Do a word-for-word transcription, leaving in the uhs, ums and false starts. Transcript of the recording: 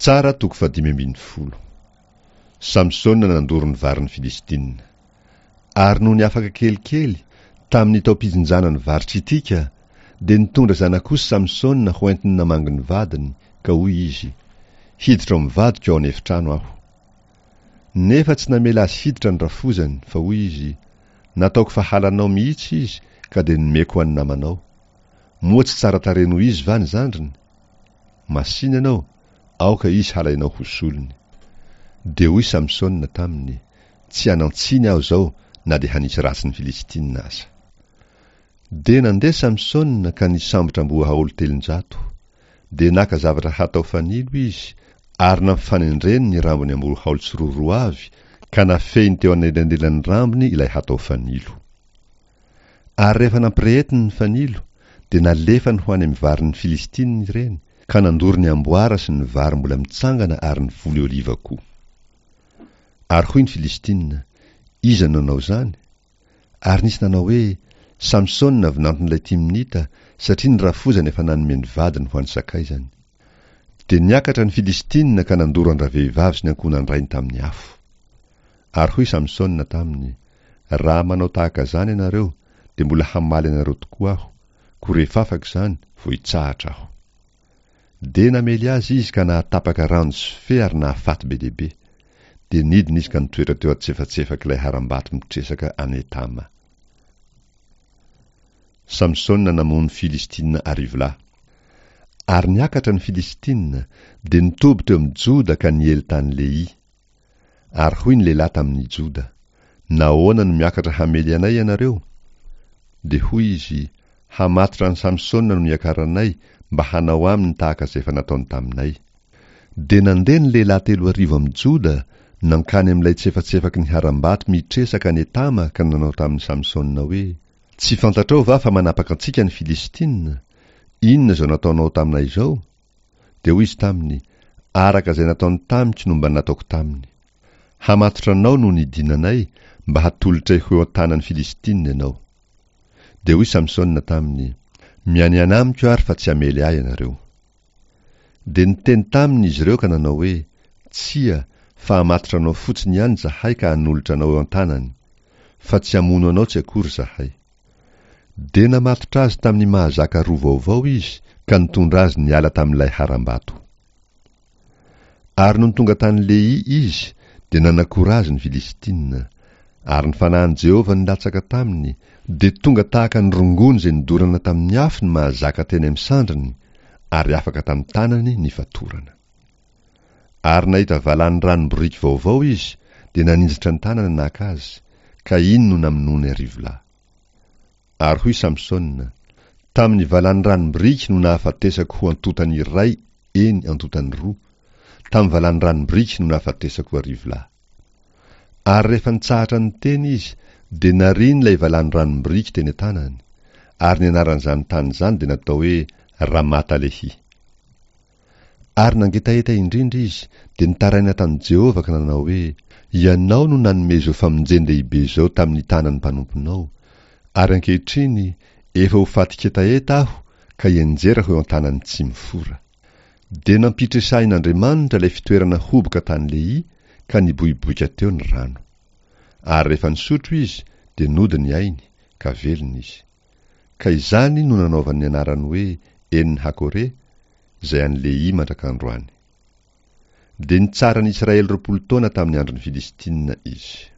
Mpitsara toko fahadimy ambin'ny folo. Samsona nandoro ny varin'ny Filistina. Ary nony afaka kelikely, tamin'ny taom-pijinjana ny vary tritika, dia nitondra zanak'osy Samsona ho entiny namangy ny vadiny, ka hoy izy, Hiditra ao amin'ny vadiko ao an'efitrano aho. Nefa tsy namela azy hiditra ny rafozany, fa hoy izy, Nataoko fa halanao mihitsy izy, ka dia nomeko ho an'ny namanao. Moa tsy tsara tarehy noho izy va ny zandriny? Masìna ianao, aoka izy halainao ho solony. Dia hoy Samsona taminy, Tsy hanan-tsiny aho izao na dia hanisy ratsy ny Filistina aza. Dia nandeha Samsona ka nisambotra amboahaolo telonjato. Dia naka zavatra hatao fanilo izy, ary nampifanendreny ny rambon'ny amboahaolo tsiroaroa avy, ka nafehiny teo anelanelan'ny rambony ilay hatao fanilo. Ary rehefa nampirehetiny ny fanilo, dia nalefany ho any amin'ny varin'ny Filistina ireny, ka nandoro ny amboara sy ny vary mbola mitsangana ary ny voly oliva koa. Ary hoy ny Filistina, Iza no nanao izany? Ary nisy nanao hoe, Samsona vinanton'ilay Timnita, satria ny rafozany efa nanome ny vadiny ho an'ny sakaizany. Dia niakatra ny Filistina ka nandoro an-dravehivavy sy ny ankohonan-drainy tamin'ny afo. Ary hoy Samsona taminy, Raha manao tahaka izany ianareo, dia mbola hamaly anareo tokoa aho, koa rehefa afaka izany, vao hitsahatra aho. Dia namely azy izy ka nahatapaka ranjo sy fe ary nahafaty be dia be. Dia nidina izy ka nitoetra teo antsefatsefak'ilay harambato mitresaka any Etama. Samsona namono Filistina arivo lahy. Ary niakatra ny Filistina, dia nitoby teo amin'i Joda ka niely tany Lehia. Ary hoy ny lehilahy tamin'i Joda, Nahoana no miakatra hamely anay ianareo? Dia hoy izy, Hamatotra an'i Samsona no niakaranay mba hanao aminy tahaka izay efa nataony taminay. Dia nandeha ny lehilahy telo arivo amin'i Joda nankany amin'ilay tsefatsefaky ny harambato mitresaka any Etama ka nanao tamin'i Samsona hoe, Tsy fantatrao va fa manapaka antsika ny Filistina? Inona izao nataonao taminay izao? Dia hoy izy taminy, Araka izay nataony tamiko no mba nataoko taminy. Hamatotra anao no nidinanay mba hatolotray ho eo an-tanan'ny Filistina ianao. Dia hoy Samsona taminy, Mianiana amiko ary fa tsy hamely ahy ianareo. Dia niteny taminy izy ireo ka nanao hoe, Tsia, fa hamatotra anao fotsiny ihany izahay ka hanolotra anao eo an-tanany, fa tsy hamono anao tsy akory izahay. Dia namatotra azy tamin'ny mahazaka roa vaovao izy ka nitondra azy niala tamin'ilay harambato. Ary nony tonga tany Lehia izy, dia nanakora azy ny Filistina. Ary ny fanahin'i Jehovah nilatsaka taminy, dia tonga tahaka ny rongony izay nodorana tamin'ny afo ny mahazaka teny amin'ny sandriny, ary afaka tamin'ny tanany ny fatorana. Ary nahita valany ranom-boriky vaovao izy, dia naninjitra ny tanany naka azy, ka iny no namonoany arivo lahy. Ary hoy Samsona, Tamin'ny valany ranom-boriky no nahafatesako ho antontany iray, eny, antontany roa, tamin'ny valany ranom-boriky no nahafatesako arivo lahy. Ary rehefa nitsahatra niteny izy, dia nariany ilay valany ranom-boriky teny an-tanany, ary ny anaran'izany tany izany dia natao hoe Ramata-Lehi. Ary nangetaheta indrindra izy, dia nitaraina tamin'i Jehovah ka nanao hoe, Ianao no nanome izao famonjen-dehibe izao tamin'ny tanan'ny mpanomponao, ary ankehitriny efa ho fatin-ketaheta aho ka hianjera ho eo an-tanan'ny tsy mifora. Dia nampitresahin'Andriamanitra ilay fitoerana hoboka tany Lehia, ka niboiboika teo ny rano. Ary rehefa nisotro izy, dia nody ny ainy, ka velona izy. Ka izany no nanaovany ny anarany hoe En-Hakore, izay an'i Lehia mandrak'androany. Dia nitsara ny Israely roapolo taona tamin'ny andron'ny Filistina izy.